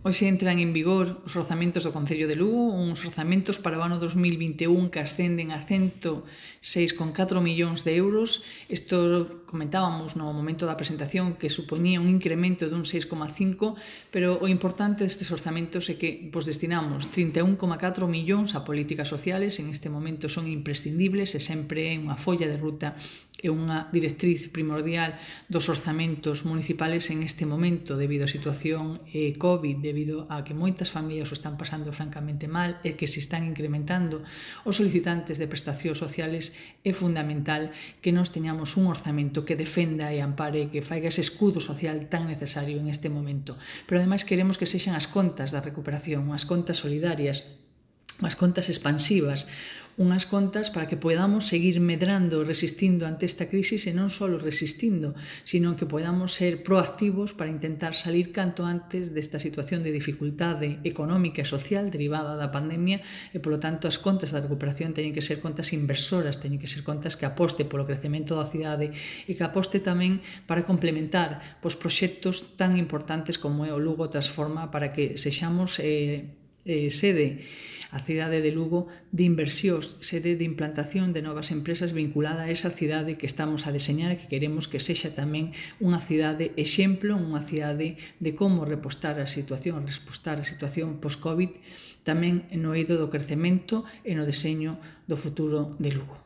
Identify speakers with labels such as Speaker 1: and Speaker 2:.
Speaker 1: Hoxe entran en vigor os orzamentos do Concello de Lugo, uns orzamentos para o ano 2021 que ascenden a 106,4 millóns de euros. Isto comentábamos no momento da presentación que supoñía un incremento dun 6,5, pero o importante destes orzamentos é que destinamos 31,4 millóns a políticas sociales, en este momento son imprescindibles e sempre é unha folla de ruta e unha directriz primordial dos orzamentos municipales en este momento debido á situación COVID, debido a que moitas familias o están pasando francamente mal e que se están incrementando os solicitantes de prestacións sociales. É fundamental que nós teñamos un orzamento que defenda e ampare, que faiga ese escudo social tan necesario en este momento. Pero ademais queremos que sexan as contas da recuperación, as contas solidarias, as contas expansivas, unhas contas para que podamos seguir medrando, resistindo ante esta crisis e non só resistindo, sino que podamos ser proactivos para intentar salir canto antes desta situación de dificultade económica e social derivada da pandemia e, polo tanto, as contas da recuperación teñen que ser contas inversoras, teñen que ser contas que aposte polo crecemento da cidade e que aposte tamén para complementar proxectos tan importantes como é o Lugo Transforma para que sexamos sede a cidade de Lugo de inversións, sede de implantación de novas empresas vinculada a esa cidade que estamos a deseñar e que queremos que sexa tamén unha cidade exemplo, unha cidade de como respostar a situación post-Covid, tamén no eido do crecemento e no deseño do futuro de Lugo.